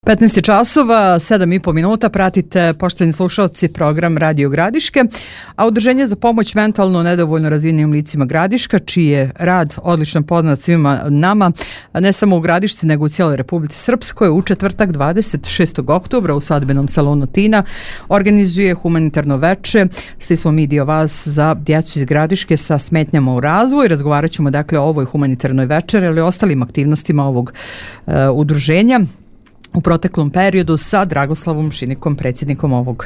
15 časova, 7,5 minuta, pratite, poštovani slušalci, program Radio Gradiške, a Udruženje za pomoć mentalno nedovoljno razvijenim licima Gradiška, čiji je rad odlično poznat svima nama, ne samo u Gradišci, nego u cijeloj Republici Srpskoj, u četvrtak 26. oktobra u svadbenom salonu Tina organizuje humanitarno veče. Svi smo mi dio vas za djecu iz Gradiške sa smetnjama u razvoju. Razgovarat ćemo dakle o ovoj humanitarnoj večeri, ali i ostalim aktivnostima ovog udruženja u proteklom periodu sa Dragoslavom Šinikom, predsjednikom ovog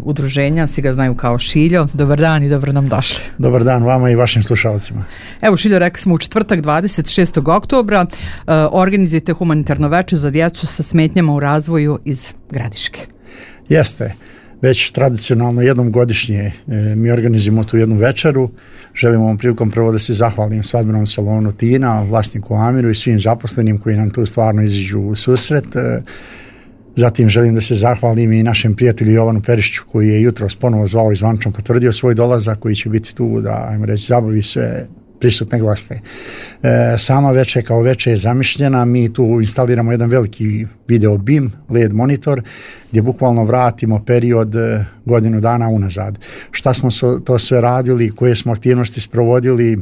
udruženja. Svi ga znaju kao Šiljo. Dobar dan i dobro nam došli. Dobar dan vama i vašim slušalcima. Evo Šiljo, rekli smo u četvrtak 26. oktobra organizujete humanitarno veče za djecu sa smetnjama u razvoju iz Gradiške. Jeste. Već tradicionalno jednom godišnje mi organizujemo tu jednu večeru. Želimo ovom prilikom prvo da se zahvalim svadbenom salonu Tina, vlasniku Amiru i svim zaposlenim koji nam tu stvarno iziđu u susret. Zatim želim da se zahvalim i našem prijatelju Jovanu Perišiću koji je jutros ponovo zvao i zvančno potvrdio svoj dolazak, koji će biti tu da, ajmo reći, zabavi sve prisutne goste. Sama večer kao večer je zamišljena, mi tu instaliramo jedan veliki video BIM, LED monitor, gdje bukvalno vratimo period godinu dana unazad. Šta smo to sve radili, koje smo aktivnosti sprovodili,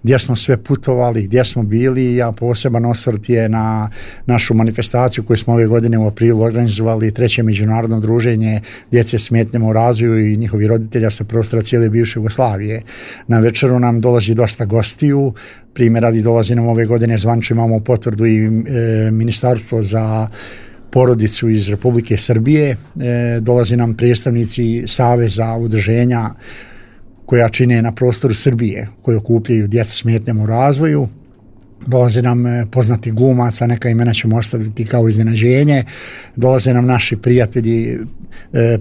gdje smo sve putovali, gdje smo bili. Ja poseban osvrt je na našu manifestaciju koju smo ove godine u aprilu organizovali, 3. međunarodno druženje djece s smetnjama u razvoju i njihovi roditelja sa prostora cijele bivše Jugoslavije. Na večeru nam dolazi dosta gostiju. Primjer radi, dolazi nam ove godine zvančno, imamo potvrdu i Ministarstvo za porodicu iz Republike Srbije, dolazi nam predstavnici Saveza udruženja koja čine na prostoru Srbije, koji okupljaju djecu s smetnjama u razvoju. Dolaze nam poznati glumaca, neka imena ćemo ostaviti kao iznenađenje. Dolaze nam naši prijatelji,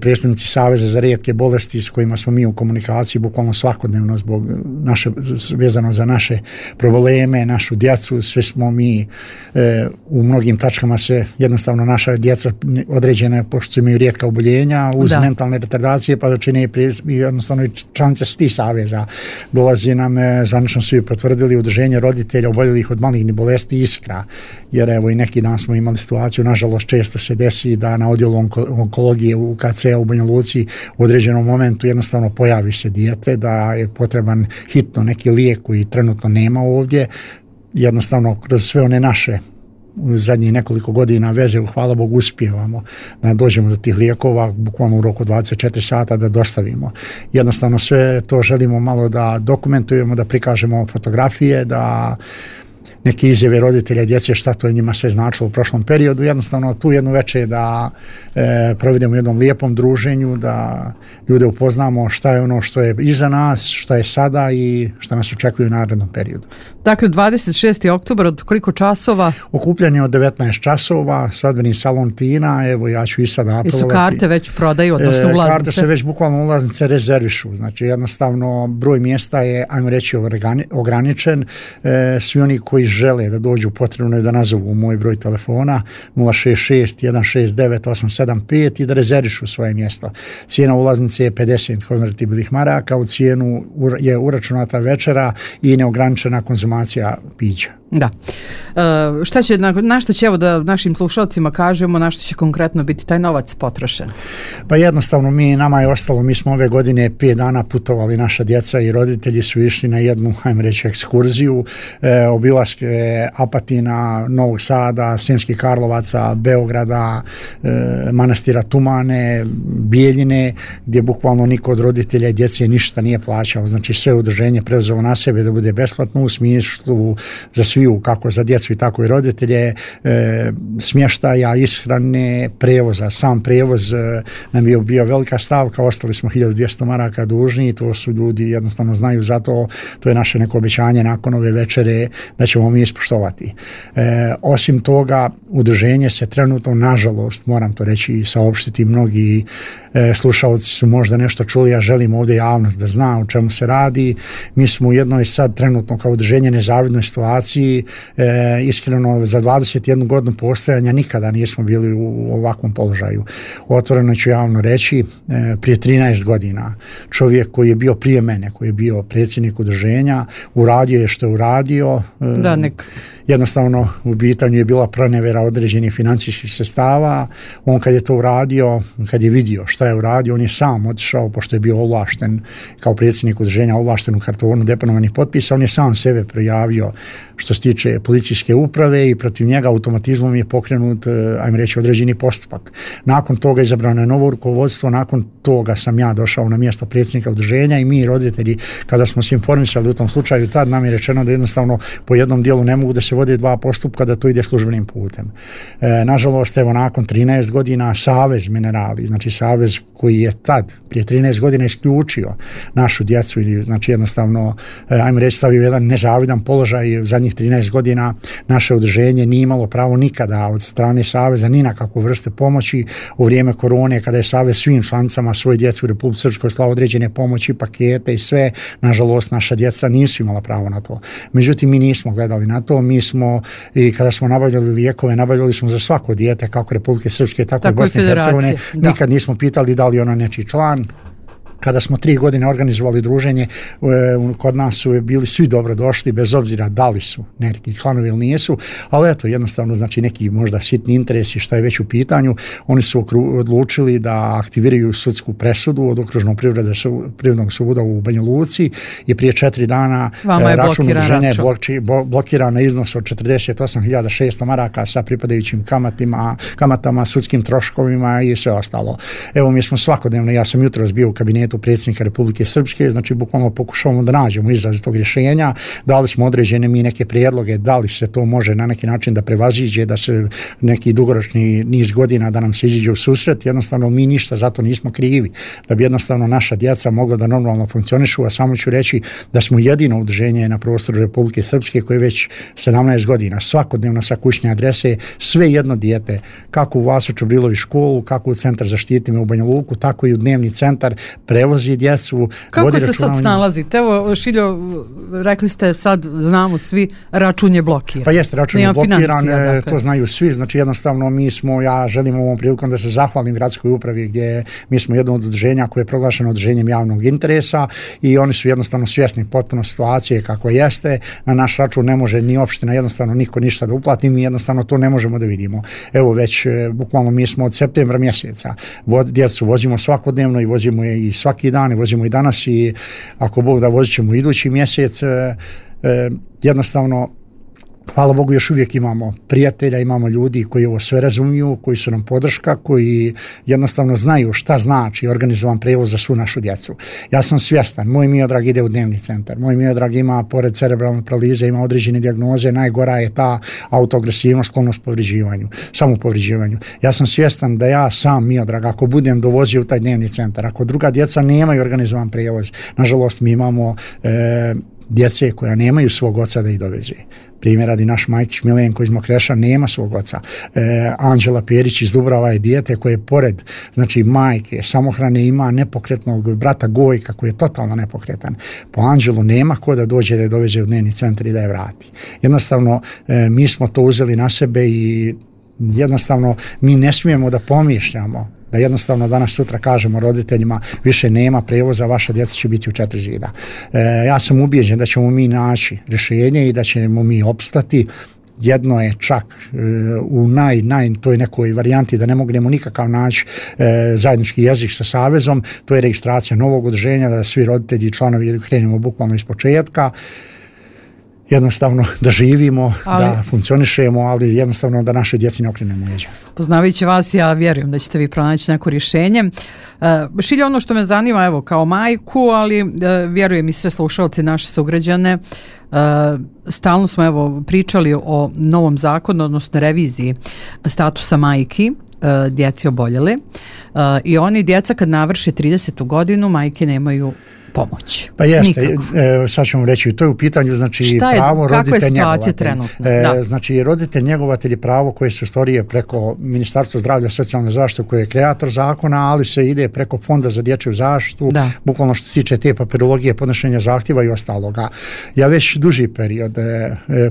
predstavnici Saveza za rijetke bolesti s kojima smo mi u komunikaciji bukvalno svakodnevno zbog vezano za naše probleme, našu djecu. Sve smo mi u mnogim tačkama se jednostavno naša djeca određene, pošto imaju rijetka oboljenja uz mentalne retardacije, pa čine jednostavno članice s tih saveza. Dolazi nam, zvanično svi potvrdili, udruženje roditelja oboljelih od malignih bolesti Iskra, jer evo i neki dan smo imali situaciju, nažalost često se desi da na odjelu onkologije u KC-u u Banja Luci u određenom momentu jednostavno pojavi se dijete da je potreban hitno neki lijek koji trenutno nema ovdje. Jednostavno kroz sve one naše u zadnjih nekoliko godina veze, hvala Bogu, uspijevamo da dođemo do tih lijekova bukvalno u roku 24 sata da dostavimo. Jednostavno sve to želimo malo da dokumentujemo, da prikažemo fotografije, da neke izjave roditelja djece šta to je njima sve značilo u prošlom periodu. Jednostavno tu jednu večer da provedemo u jednom lijepom druženju, da ljude upoznamo šta je ono što je iza nas, šta je sada i šta nas očekuje u narednom periodu. Dakle, 26. oktobar, od koliko časova? Okupljanje od 19 časova, svadbeni salon Tina, evo ja ću i sada apelovati. I su karte već prodaju, odnosno ulaznice? Karte se već bukvalno ulaznice rezervišu, znači jednostavno broj mjesta je, ajmo reći, ograničen. Svi oni koji žele da dođu, potrebno je da nazovu moj broj telefona 066 169 875 i da rezervišu svoje mjesto. Cijena ulaznice je 50 konvertibilnih maraka, u cijenu je uračunata večera i neograničena konzumacija pića. Da. Šta će, na što će, evo da našim slušalcima kažemo, na što će konkretno biti taj novac potrošen? Pa jednostavno nama je ostalo, mi smo ove godine 5 dana putovali, naša djeca i roditelji su išli na jednu, ajmo reći, ekskurziju, obilaske Apatina, Novog Sada, Sremskih Karlovaca, Beograda, manastira Tumane, Bijeljine, gdje bukvalno niko od roditelja i djece ništa nije plaćao. Znači sve udruženje preuzelo na sebe da bude besplatno u smislu za sviju, kako za djecu i tako i roditelje, smještaja, ishrane, prevoza. Sam prevoz nam je bio velika stavka, ostali smo 1200 maraka dužni, to su ljudi jednostavno znaju za to, to je naše neko obećanje nakon ove večere da ćemo mi ispoštovati. Osim toga, udruženje se trenutno, nažalost, moram to reći i saopštiti, mnogi slušalci su možda nešto čuli, ja želim ovdje javnost da zna o čemu se radi. Mi smo u jednoj sad trenutno kao udruženje nezavidnoj situaciji, iskreno za 21 godinu postojanja nikada nismo bili u ovakvom položaju. Otvoreno ću javno reći, prije 13 godina čovjek koji je bio prije mene, koji je bio predsjednik udruženja, uradio je što je uradio. jednostavno u pitanju je bila pronevjera određenih financijskih sredstava. On kad je to uradio, kad je vidio šta je uradio, on je sam otišao, pošto je bio ovlašten kao predsjednik udruženja, ovlašten u kartonu deponovanih potpisa, on je sam sebe prijavio što se tiče policijske uprave i protiv njega automatizmom je pokrenut, ajmo reći, određeni postupak. Nakon toga izabrano je novo rukovodstvo, nakon toga sam ja došao na mjesto predsjednika udruženja i mi roditelji, kada smo se informisali u tom slučaju, tad nam je rečeno da jednostavno po jednom dijelu ne mogu da se vode dva postupka, da to ide službenim putem. Nažalost, evo nakon 13 godina Savez Minerali, znači savez koji je tad prije 13 godina isključio našu djecu ili znači jednostavno, ajmo reći, stavio jedan nezavidan položaj. U zadnjih 13 godina naše udruženje nije imalo pravo nikada od strane saveza ni na kakvu vrste pomoći. U vrijeme korone, kada je savez svim članicama svoje djece u Republici Srpskoj slao određene pomoći, pakete i sve, nažalost naša djeca nisu imala pravo na to. Međutim, mi nismo gledali na to, mi smo i kada smo nabavljali lijekove, nabavljali smo za svako dijete, kako Republike Srpske, tako i Bosne i Hercegovine. Nikad nismo pitali da li ono nečiji član. Kada smo 3 godine organizovali druženje, kod nas su bili svi dobro došli, bez obzira da li su neki članovi ili nisu, ali eto, jednostavno, znači neki možda sitni interesi šta je već u pitanju, oni su odlučili da aktiviraju sudsku presudu od Okružnog privrednog suda u Banja Luci i prije 4 dana račun udruženja je blokiran na iznos od 48.600 maraka sa pripadajućim kamatama, sudskim troškovima i sve ostalo. Evo, mi smo svakodnevno, ja sam jutros bio u kabinetu predsjednika Republike Srpske, znači bukvalno pokušavamo da nađemo izraz tog rješenja, dali smo određene mi neke prijedloge, da li se to može na neki način da prevaziđe, da se neki dugoročni niz godina da nam se iziđe u susret, jednostavno mi ništa zato nismo krivi, da bi jednostavno naša djeca mogla da normalno funkcionišu, a samo ću reći da smo jedino udruženje na prostoru Republike Srpske koje već 17 godina svakodnevno sa kućne adrese sve jedno dijete, kako u Vaso Čobrilović školu, kako u Centar za štitime u Banja Luku, tako i u dnevni centar prevozi djecu. Kako se sad snalazite? Evo, Šiljo, rekli ste sad, znamo svi, račun je blokiran. Pa jeste, račun je blokiran, to znaju svi, znači jednostavno ja želim ovom prilikom da se zahvalim gradskoj upravi gdje mi smo jedno od udruženja koje je proglašeno udruženjem javnog interesa i oni su jednostavno svjesni potpuno situacije kako jeste, na naš račun ne može ni opština, jednostavno niko ništa da uplati, mi jednostavno to ne možemo da vidimo. Evo već, bukvalno mi smo od septembra mjeseca, djecu vozimo svakodnevno i vozimo je i svaki dan, i vozimo i danas i ako Bog da vozit ćemo idući mjesec, jednostavno hvala Bogu još uvijek imamo prijatelja, imamo ljudi koji ovo sve razumiju, koji su nam podrška, koji jednostavno znaju šta znači organizovan prevoz za svu našu djecu. Ja sam svjestan, moj Miodrag ide u dnevni centar, moj Miodrag ima pored cerebralne paralize, ima određene dijagnoze, najgora je ta autoagresivnost, sklonost povređivanju, samopovređivanju. Ja sam svjestan da ja sam Miodrag, ako budem dovozio u taj dnevni centar, ako druga djeca nemaju organizovan prevoz, nažalost mi imamo djece koja nemaju svog oca da ih doveze. Primjer radi naš Majkić Milenko iz Mokreša nema svog oca. Anđela Perić iz Dubrava je dijete koje pored znači majke samohrane ima nepokretnog brata Gojka koji je totalno nepokretan. Po Anđelu nema ko da dođe da je doveze u dnevni centar i da je vrati. Jednostavno mi smo to uzeli na sebe i jednostavno mi ne smijemo da pomišljamo da jednostavno danas sutra kažemo roditeljima više nema prevoza, vaša djeca će biti u 4 zida. Ja sam ubijeđen da ćemo mi naći rješenje i da ćemo mi opstati. Jedno je čak u toj nekoj varijanti da ne mognemo nikakav naći zajednički jezik sa savezom, to je registracija novog udruženja, da svi roditelji i članovi krenemo bukvalno iz početka. Jednostavno da živimo, da funkcionišemo, ali jednostavno da naše djeci ne okrenemo leđa. Poznavajući vas, ja vjerujem da ćete vi pronaći neko rješenje. Šilje, ono što me zanima, evo, kao majku, ali vjerujem i sve slušalci, naše sugrađane, stalno smo evo pričali o novom zakonu, odnosno reviziji statusa majki, djeci oboljeli, i oni djeca kad navrše 30. godinu, majke nemaju pomoć. Pa jeste, sad ćemo reći, to je u pitanju, znači pravo roditelj njegovatelj. Znači roditelj njegovatelj je pravo koje se ostvaruje preko Ministarstva zdravlja i socijalne zaštite koje je kreator zakona, ali se ide preko Fonda za dječju zaštitu, bukvalno što se tiče te papirologije, podnošenja zahtjeva i ostaloga. Ja već duži period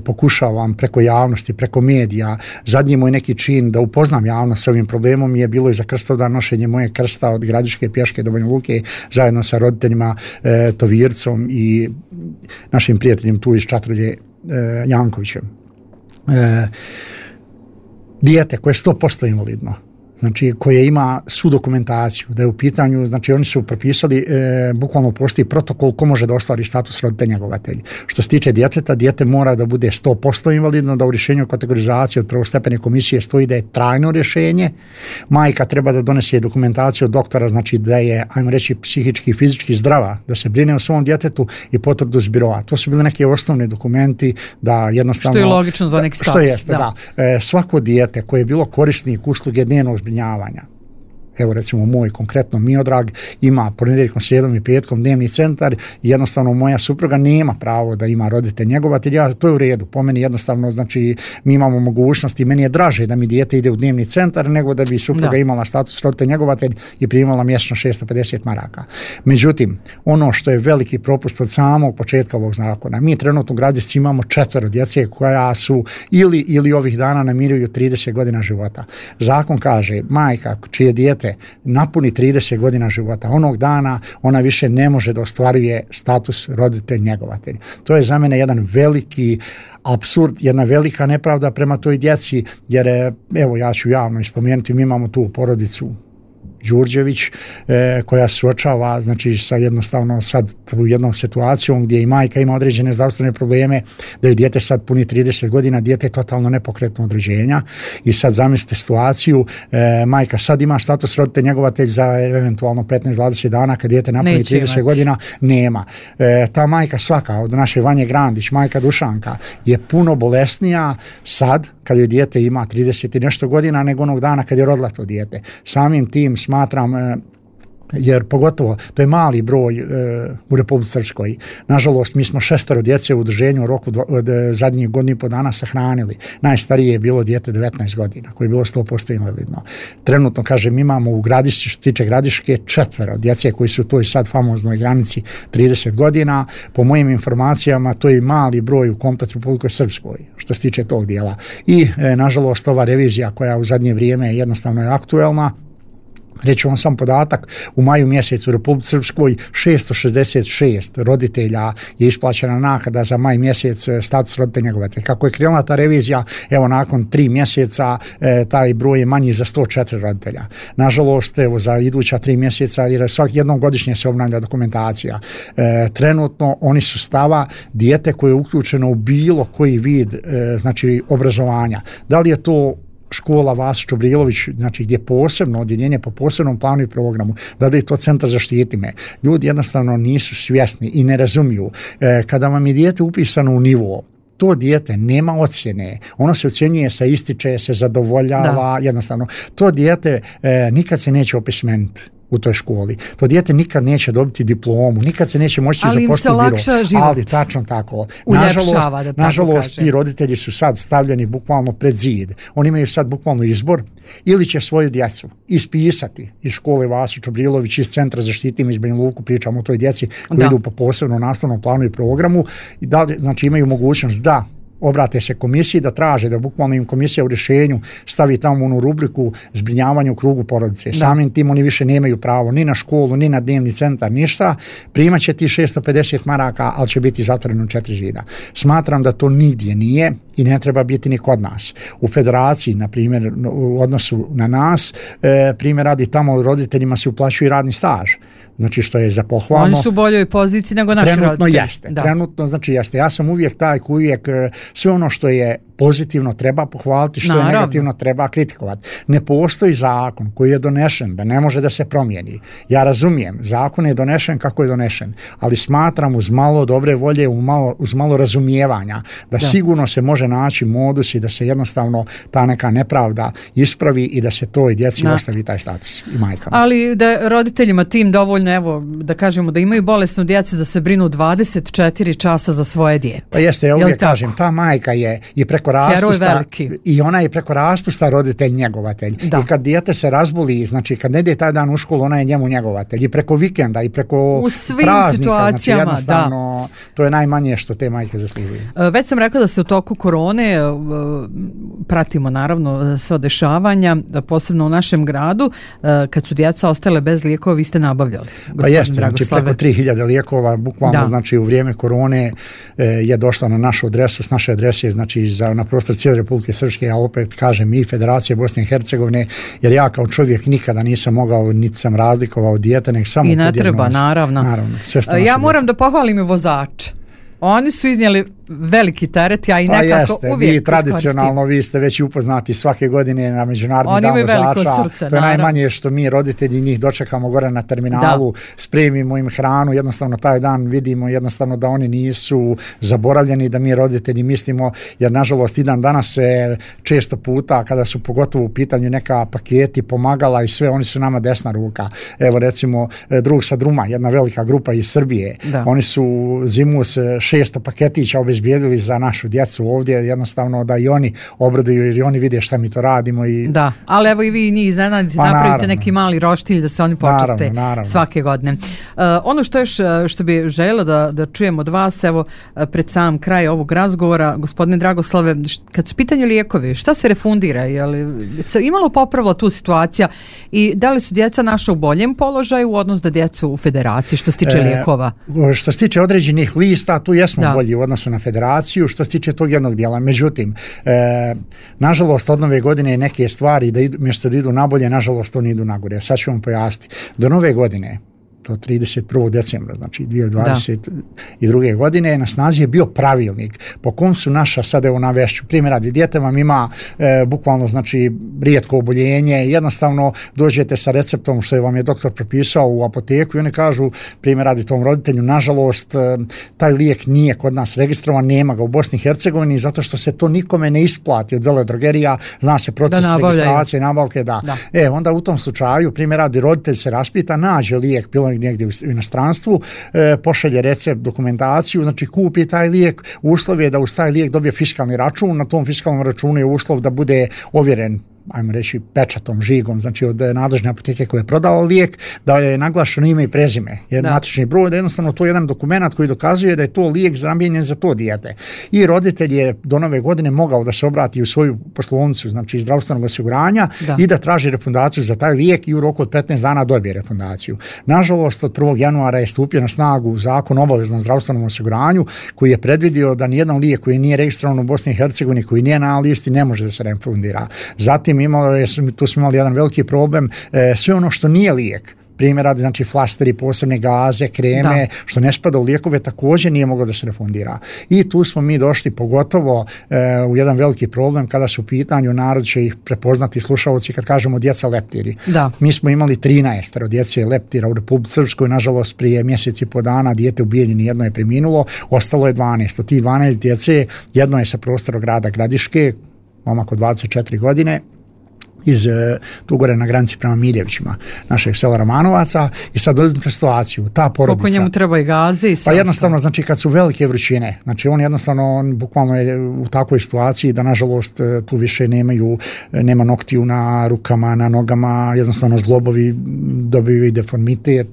pokušavam preko javnosti, preko medija, zadnji moj neki čin da upoznam javnost s ovim problemom je bilo i za Krstovdan nošenje moje krsta od Gradiške pješke do Banja Luke zajedno sa roditeljima Tovircom i našim prijateljem tu iz Čatrlje Jankovićem. dijete koje je 100% invalidno, znači koje ima svu dokumentaciju, da je u pitanju, znači oni su propisali, bukvalno postoji protokol ko može da ostvari status roditelj njegovatelj. Što se tiče djeteta, dijete mora da bude 100% invalidno, da u rješenju kategorizacije od prvostepene komisije stoji da je trajno rješenje, majka treba da donese dokumentaciju od doktora, znači da je, ajmo reći, psihički i fizički zdrava, da se brine o svom djetetu i potvrdu s biroa. To su bili neki osnovni dokumenti da jednostavno... Što je logično za neki status. Što jeste, da. Svako dijete koje je bilo korisnik usluge dnevnog zbrinjavanja, evo recimo moj konkretno Miodrag ima ponedjeljkom, srijedom i petkom dnevni centar i jednostavno moja supruga nema pravo da ima roditelj njegovatelj, to je u redu, po meni jednostavno, znači mi imamo mogućnost i meni je draže da mi dijete ide u dnevni centar nego da bi supruga imala status roditelj njegovatelj i primala mjesečno 650 maraka. Međutim, ono što je veliki propust od samog početka ovog zakona, mi trenutno u Gradišci imamo 4 djece koja su ili ovih dana namiruju 30 godina života. Zakon kaže, majka čije dijete napuni 30 godina života, onog dana ona više ne može da ostvaruje status roditelj njegovatelj. To je za mene jedan veliki apsurd, jedna velika nepravda prema toj djeci, jer evo ja ću javno ispomenuti, mi imamo tu porodicu Đurđević koja suočava znači sa jednostavno sad u jednom situacijom gdje i majka ima određene zdravstvene probleme, da je dijete sad puni 30 godina, dijete je totalno nepokretno od rođenja i sad zamislite situaciju, majka sad ima status roditelj njegovatelj za eventualno 15-20 dana kad dijete napuni 30 godina, nema. Ta majka svaka od naše Vanje Grandić, majka Dušanka, je puno bolesnija sad kad joj dijete ima 30 i nešto godina nego onog dana kad je rodila to dijete. Samim tim smatram, jer pogotovo to je mali broj u Republici Srpskoj. Nažalost, mi smo 6 djece u udruženju u roku od zadnjih godinu i po dana sahranili. Najstarije je bilo dijete 19 godina, koje je bilo 100% invalidno. Trenutno, kažem, imamo u Gradišci, što tiče Gradiške, 4 djece koji su u toj sad famoznoj granici 30 godina. Po mojim informacijama, to je mali broj u komplet Republike Srpskoj, što se tiče tog dijela. I, nažalost, ova revizija koja u zadnje vrijeme jednostavno je aktuelna, reći vam sam podatak, u maju mjesecu u Republici Srpskoj 666 roditelja je isplaćena naknada za maj mjesec status roditelj njegovatelj. Kako je krenula ta revizija, evo nakon 3 mjeseca taj broj je manji za 104 roditelja. Nažalost, evo za iduća 3 mjeseca, jer jednom godišnje se obnavlja dokumentacija. Trenutno oni su stava dijete koje je uključeno u bilo koji vid znači obrazovanja. Da li je to škola Vasić Čobrilović, znači gdje posebno odjeljenje po posebnom planu i programu, da je to centar zaštiti me. Ljudi jednostavno nisu svjesni i ne razumiju. Kada vam je dijete upisano u nivo, to dijete nema ocjene, ono se ocjenjuje, se ističe, se zadovoljava, jednostavno. To dijete nikad se neće opismeniti u toj školi. To dijete nikad neće dobiti diplomu, nikad se neće moći zaposliti u biro. Ali tačno tako. Nažalost, ti roditelji su sad stavljeni bukvalno pred zid. Oni imaju sad bukvalno izbor, ili će svoju djecu ispisati iz škole Vasić Čobrilović, iz centra zaštiti me iz Banja Luku, pričamo o toj djeci koji idu po posebnom nastavnom planu i programu, i da, znači imaju mogućnost da obrate se komisiji, da traže da bukvalno im komisija u rješenju stavi tamo onu rubriku zbrinjavanje u krugu porodice. Samim tim oni više nemaju pravo ni na školu, ni na dnevni centar, ništa. Primat će ti 650 maraka, ali će biti zatvoreno u 4 zida. Smatram da to nigdje nije i ne treba biti ni kod nas. U federaciji, na primjer, u odnosu na nas, primjer radi tamo roditeljima se uplaćuje radni staž. Znači što je za pohvalno. Oni su u boljoj poziciji nego naši roditelji. Trenutno znači jeste. Ja sam uvijek taj koji uvijek sve ono što je pozitivno treba pohvaliti, što je negativno treba kritikovati. Ne postoji zakon koji je donešen da ne može da se promijeni. Ja razumijem, zakon je donešen kako je donešen, ali smatram uz malo dobre volje, uz malo razumijevanja da sigurno se može naći modus i da se jednostavno ta neka nepravda ispravi i da se toj djeci ostavi taj status i majkama. Ali da roditeljima tim dovoljno, evo, da kažemo da imaju bolesnu djecu da se brinu 24 časa za svoje dijete. Pa jeste, ja uvijek kažem, ta majka je i preko raspusta i ona je preko raspusta roditelj njegovatelj. I kad dijete se razboli, znači kad ne ide taj dan u školu, ona je njemu njegovatelj. I preko vikenda i preko u svim praznika, situacijama, znači jednostavno to je najmanje što te majke zaslužuju. Već sam rekla da se u toku korone pratimo naravno sva dešavanja, posebno u našem gradu, kad su djeca ostale bez lijekova, vi ste nabavljali. Pa jeste, znači preko 3000 lijekova, bukvalno znači u vrijeme korone je došla na našu adresu, s naše adrese, znači za na prostor cijele Republike Srpske, ja opet kažem i Federacije Bosne i Hercegovine, jer ja kao čovjek nikada nisam mogao, niti sam razlikovao dijete, nek samo i ne treba, naravno. Ja moram da pohvalim i vozače. Oni su iznijeli veliki teret, ja i nekako jeste, uvijek vi tradicionalno, vi ste već upoznati svake godine na Međunarodni dan vozača, srce, to je najmanje što mi roditelji njih dočekamo gore na terminalu, spremimo im hranu, jednostavno taj dan vidimo jednostavno da oni nisu zaboravljeni, da mi roditelji mislimo, jer nažalost i dan danas se često puta kada su pogotovo u pitanju neka paketi, pomagala i sve, oni su nama desna ruka. Evo recimo drug sa Druma, jedna velika grupa iz Srbije, oni su zimus 600 paketića obezbijedili za našu djecu ovdje, jednostavno da i oni obraduju jer i oni vide šta mi to radimo. Da, ali evo i vi njih iznenadite, napravite neki mali roštilj da se oni počiste svake godine. Ono što bi željela da čujem od vas, evo pred sam kraj ovog razgovora, gospodine Dragoslave, kad su pitanju lijekovi, šta se refundira? Je li se imalo popravila tu situacija i da li su djeca naša u boljem položaju u odnosu da djecu u federaciji što se tiče lijekova? Što se tiče određenih lista, tu jesmo bolji u odnosu na federaciju što se tiče tog jednog dijela. Međutim, nažalost od nove godine neke stvari mjesto da idu nabolje, nažalost oni idu nagore. Sad ću vam pojasniti. Do nove godine, do 31. decembra, znači 2022. godine, na snazi je bio pravilnik po kom su naša, sad evo navešću, primjer radi, dijete vam ima bukvalno, znači, rijetko oboljenje, jednostavno dođete sa receptom što je vam je doktor propisao u apoteku i oni kažu, primjer radi tom roditelju, nažalost, taj lijek nije kod nas registrovan, nema ga u Bosni i Hercegovini, zato što se to nikome ne isplati od veledrogerija, zna se proces registracije i nabavke, onda u tom slučaju, primjer radi, roditelj se raspita, nađe lijek, negdje u inostranstvu, pošalje recept, dokumentaciju, znači kupi taj lijek, uslov je da uz taj lijek dobije fiskalni račun, na tom fiskalnom računu je uslov da bude ovjeren, ajmo reći, pečatom, žigom, znači od nadležne apoteke koje je prodala lijek, da je naglašeno ime i prezime, matični broj, da jednostavno to je jedan dokument koji dokazuje da je to lijek namijenjen za to dijete. I roditelj je do nove godine mogao da se obrati u svoju poslovnicu, znači zdravstvenog osiguranja i da traži refundaciju za taj lijek i u roku od 15 dana dobije refundaciju. Nažalost, od 1. januara je stupio na snagu zakon o obaveznom zdravstvenom osiguranju koji je predvidio da nijedan lijek koji nije registrovan u Bosni i Hercegovini, koji nije na listi, ne može da se refundira. Zatim tu smo imali jedan veliki problem, sve ono što nije lijek, primjer radi, znači flasteri, posebne gaze, kreme, što ne spada u lijekove, također nije moglo da se refundira. I tu smo mi došli pogotovo u jedan veliki problem kada su u pitanju, narod će ih prepoznati slušalci kad kažemo djeca leptiri. Mi smo imali 13 djece leptira u Republici Srpskoj, nažalost prije mjesec i po dana dijete ubijeljeno, jedno je preminulo, ostalo je 12. Od tih 12 djece, jedno je sa prostora grada Gradiške, momak od 24 godine, iz tu gore na granici prema Miljevićima, našeg sela Romanovaca, i sad uzmite situaciju, ta porodica... Koliko njemu treba i gaze i sve? Pa jednostavno, znači kad su velike vrućine, znači on bukvalno je u takvoj situaciji da nažalost tu više nema noktiju na rukama, na nogama, jednostavno zglobovi dobiju i deformitet,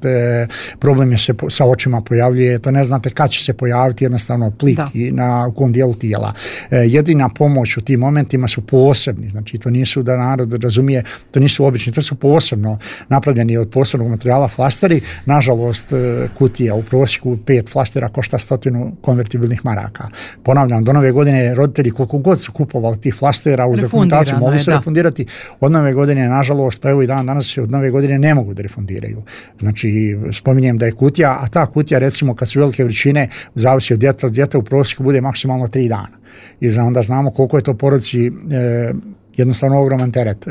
problem je se sa očima pojavljuje, to ne znate kad će se pojaviti jednostavno plik u kom dijelu tijela. Jedina pomoć u tim momentima su posebni, znači to nisu da narod razumije, to nisu obični, to su posebno napravljeni od posebnog materijala flasteri. Nažalost, kutija u prosjeku 5 flastera košta 100 konvertibilnih maraka. Ponavljam, do nove godine roditelji koliko god su kupovali tih flastera uz dokumentaciju mogu se refundirati. Od nove godine, nažalost, pa evo i danas se od nove godine ne mogu da refundiraju. Znači, spominjem da je kutija, a ta kutija recimo kad su velike vrućine, zavisi od djeta u prosjeku bude maksimalno 3 dana. I onda znamo koliko je to porodici jednostavno ogroman teret.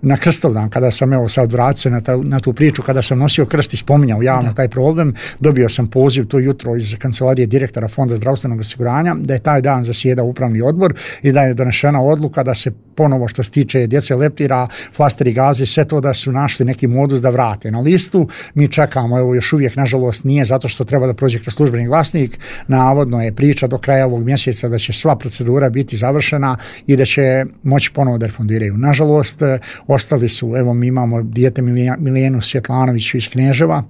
Na Krstovdan, kada sam sad vratio na tu priču, kada sam nosio krst i spominjao javno taj problem, dobio sam poziv to jutro iz kancelarije direktora Fonda zdravstvenog osiguranja da je taj dan zasjedao upravni odbor i da je donešena odluka da se ponovo što se tiče djece leptira, flasteri, gaze, sve to da su našli neki modus da vrate na listu. Mi čekamo, evo još uvijek nažalost nije, zato što treba da prođe kroz službeni glasnik. Navodno je priča do kraja ovog mjeseca da će sva procedura biti završena i da će moći ponovo da refundiraju. Nažalost, ostali su, evo mi imamo dijete Milijenu Svjetlanović iz Kneževa,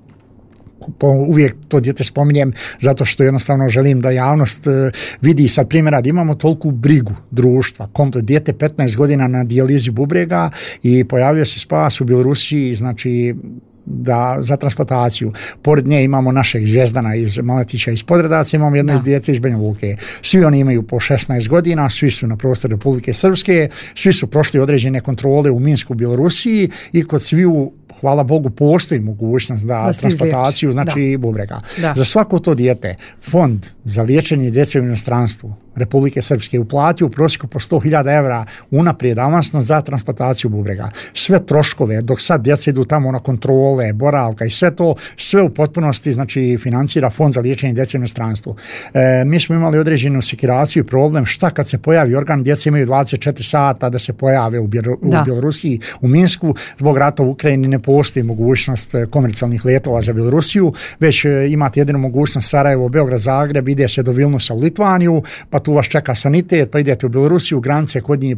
uvijek to dijete spominjem zato što jednostavno želim da javnost vidi sad primjera da imamo toliku brigu društva, komplet dijete 15 godina na dijalizi bubrega i pojavio se spas u Bjelorusiji, znači za transplantaciju. Pored nje imamo našeg Zvijezdana iz Maletića iz Podredaca, imamo jedno dijete iz Banja Luke. Svi oni imaju po 16 godina, svi su na prostoru Republike Srpske, svi su prošli određene kontrole u Minsku, Bjelorusiji i kod sviju, hvala Bogu, postoji mogućnost da transplantaciju, znači bubrega. Za svako to dijete Fond za liječenje djece u inostranstvu Republike Srpske uplatio u prosjeku po 100.000 evra unaprijed avansno za transplantaciju bubrega. Sve troškove, dok sad djeca idu tamo na kontrole, boravka i sve to, sve u potpunosti znači financira Fond za liječenje djece u inostranstvu. Mi smo imali određenu sekiraciju i problem šta kad se pojavi organ, djeca imaju 24 sata da se pojave u Bjelorusiji, u Minsku, zbog rata u Ukrajini ne postoji mogućnost komercijalnih letova za Bjelorusiju, već imate jedinu mogućnost Sarajevo, Beograd, Zagreb, ide se do Vilnusa u Litvaniju, pa tu vas čeka sanitet, pa idete u Bjelorusiju, granice kod njih,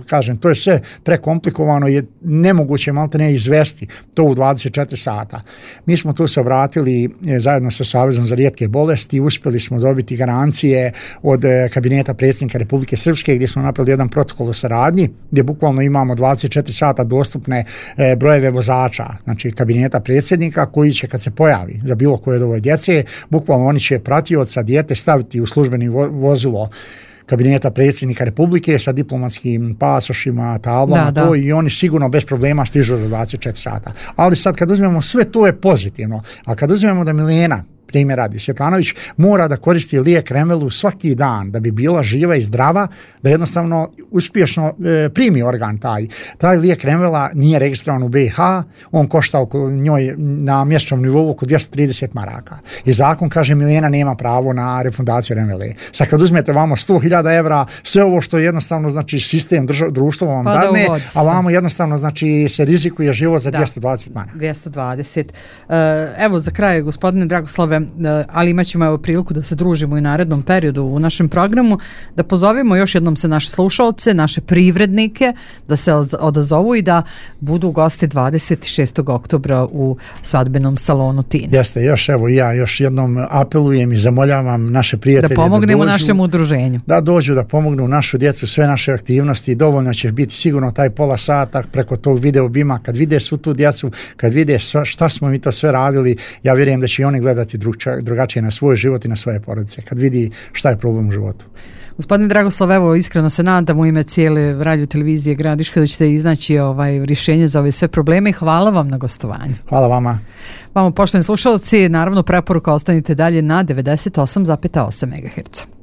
kažem, to je sve prekomplikovano, je nemoguće malte ne izvesti to u 24 sata. Mi smo tu se obratili zajedno sa Savezom za rijetke bolesti, uspjeli smo dobiti garancije od kabineta predsjednika Republike Srpske gdje smo napravili jedan protokol o saradnji, gdje bukvalno imamo 24 sata dostupne brojeve vozača, znači kabineta predsjednika koji će kad se pojavi za bilo koje od ove djece, bukvalno oni će pratioca dijete staviti u službeni vozilo kabineta predsjednika Republike sa diplomatskim pasošima, tablama, to i oni sigurno bez problema stižu za 24 sata. Ali sad kad uzmemo sve to je pozitivno, a kad uzmemo da Milena, primjer radi, Svjetlanović mora da koristi lijek Remvelu svaki dan da bi bila živa i zdrava, da jednostavno uspješno primi organ taj lijek Remvela nije registrovan u BiH, on košta oko njoj na mjesečnom nivou oko 230 maraka. I zakon kaže Milena nema pravo na refundaciju Remvele. Sad kad uzmete vamo 100.000 evra, sve ovo što jednostavno znači sistem društva vam dadne, a vamo jednostavno znači se rizikuje život za 220 maraka. 220. Evo za kraj, gospodine Dragoslave, ali imat ćemo evo priliku da se družimo i narednom periodu u našem programu, da pozovemo još jednom se naše slušalce, naše privrednike, da se odazovu i da budu gosti 26. oktobra u svadbenom salonu Tin. Jeste, ja još jednom apelujem i zamoljavam naše prijatelje da pomognemo našem udruženju. Da dođu, da pomognu našu djecu, sve naše aktivnosti, dovoljno će biti sigurno taj pola sata preko tog video bima, kad vide svu tu djecu, kad vide šta smo mi to sve radili, ja vjerujem da će i oni gledati drugačije na svoj život i na svoje porodice, kad vidi šta je problem u životu. Gospodine Dragoslav, evo iskreno se nadam u ime cijele radio televizije Gradiška da ćete iznaći rješenje za ove sve probleme i hvala vam na gostovanju. Hvala vama. Vama poštovani slušalci, naravno preporuka ostanite dalje na 98,8 MHz.